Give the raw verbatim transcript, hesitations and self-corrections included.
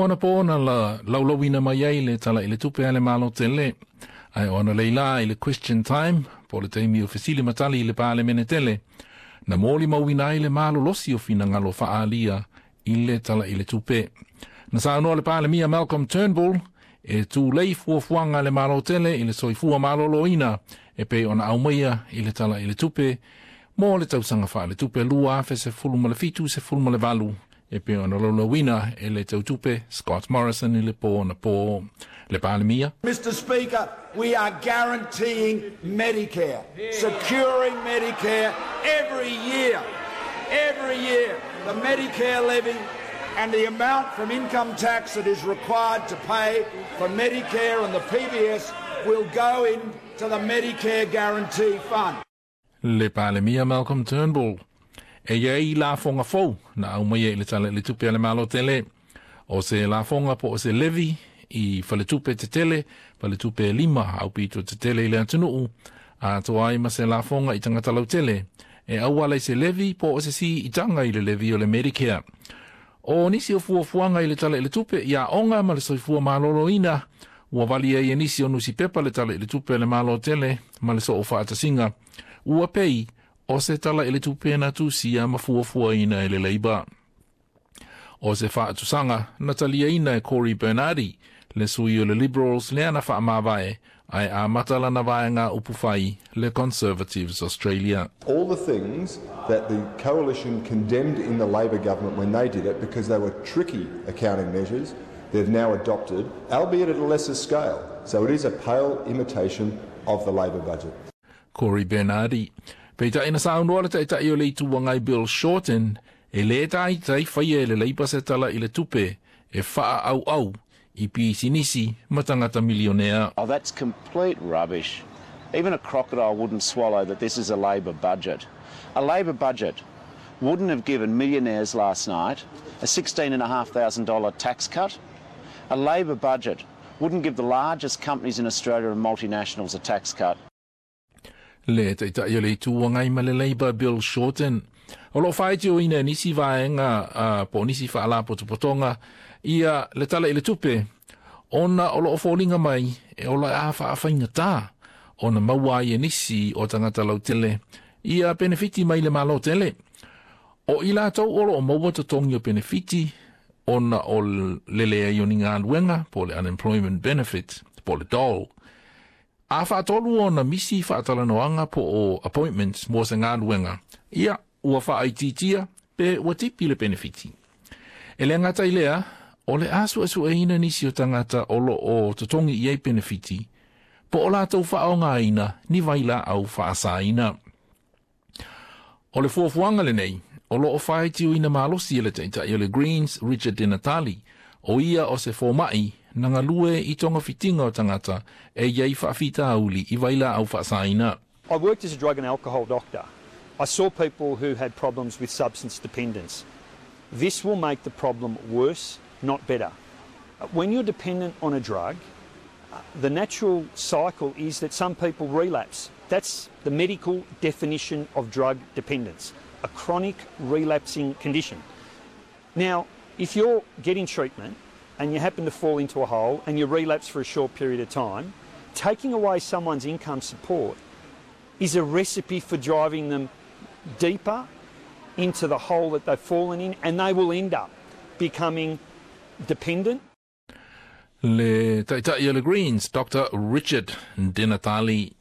O anapo na la laulauina mai ai le Tala i le Tupe a le Malo tele. Ae o analeila i le question time, po le taimi o fesili ma tali i le Palemene tele, na molimauina ai le malolosi o finagalo faaalia i le Tala i le Tupe. Na saunoa le Palemia Malcolm Turnbull e tulei fuafuaga a le Malo tele i le soifua maloloina e pei ona aumaia i le Tala i le Tupe mo le tausaga faaletupe lua afe sefulu ma le fitu sefulu ma le valu e pei ona laulauina e le tautupe Scott Morrison i le po anapo. Le Palemia. Mister Speaker, we are guaranteeing Medicare, securing Medicare every year. Every year, the Medicare levy and the amount from income tax that is required to pay for Medicare and the P B S will go into the Medicare Guarantee Fund. Le Palemia Malcolm Turnbull. E iai lafoga fou na aumaia i le Tala i le Tupe a le Malo tele. O se lafoga po o se levy i faletupe tetele, faletupe e lima aupito tetele i le atunuu, atoa ai ma se lafoga i tagata lautele, e auala i se levy po o se siitaga i le levy o le Medicare. O nisi o fuafuaga i le Tala i le Tupe i aoga ma le soifua maloloina, ua vali ai e nisi o nusipepa le Tala i le Tupe a le Malo tele ma le soo faatasiga. Ua pei o se Tala i le Tupe na tusia ma fuafuaina e le Labour. O se faatusaga na taliaina e Cory Bernardi, le sui o le Liberals lea na faamavae ae amata lana vaega upufai, le Conservatives Australia. All the things that the coalition condemned in the Labor government when they did it because they were tricky accounting measures, they've now adopted, albeit at a lesser scale. So it is a pale imitation of the Labor budget. Cory Bernardi. Peitai na saunoa le taitai o le Itu Agai Bill Shorten e le taitai faia e le Labour se Tala i le Tupe e faaauau i pisinisi ma tagata milionea. Oh, that's complete rubbish. Even a crocodile wouldn't swallow that this is a Labor budget. A Labor budget wouldn't have given millionaires last night a sixteen thousand five hundred dollars tax cut. A Labor budget wouldn't give the largest companies in Australia and multinationals a tax cut. Le taitai o le Itu Agai ma le Labour Bill Shorten. O lo faitioina e nisi vaega uh, po nisi faalapotopotoga ia le Tala i le Tupe ona o loo foliga mai e ola a faafaigata ona maua ai e nisi o tagata lautele ia penefiti mai le Malo tele. O i latou o loo maua totogi o penefiti ona o le leai o ni galuega po le unemployment benefit po le dole. A faatolu ona misi faatalanoaga po o appointments mo se galuega, ia ua faaitiitia pe ua tipi le penefiti. E le gata i lea, o le a suesueina nisi o tagata o loo totogi i ai penefiti, po o latou faaaogaina ni vailaau faasaina. O le fuafuaga lenei, o loo faitioina malosi e le taitai o le Greens Richard Di Natale, o ia o se fomai na galue i togafitiga o tagata e iai faafitauli i vailaau faasaina. I worked as a drug and alcohol doctor. I saw people who had problems with substance dependence. This will make the problem worse, not better. When you're dependent on a drug, the natural cycle is that some people relapse. That's the medical definition of drug dependence, a chronic relapsing condition. Now, if you're getting treatment and you happen to fall into a hole and you relapse for a short period of time, taking away someone's income support is a recipe for driving them deeper into the hole that they've fallen in, and they will end up becoming dependent. Le taitai o le Greens, Doctor Richard Di Natale.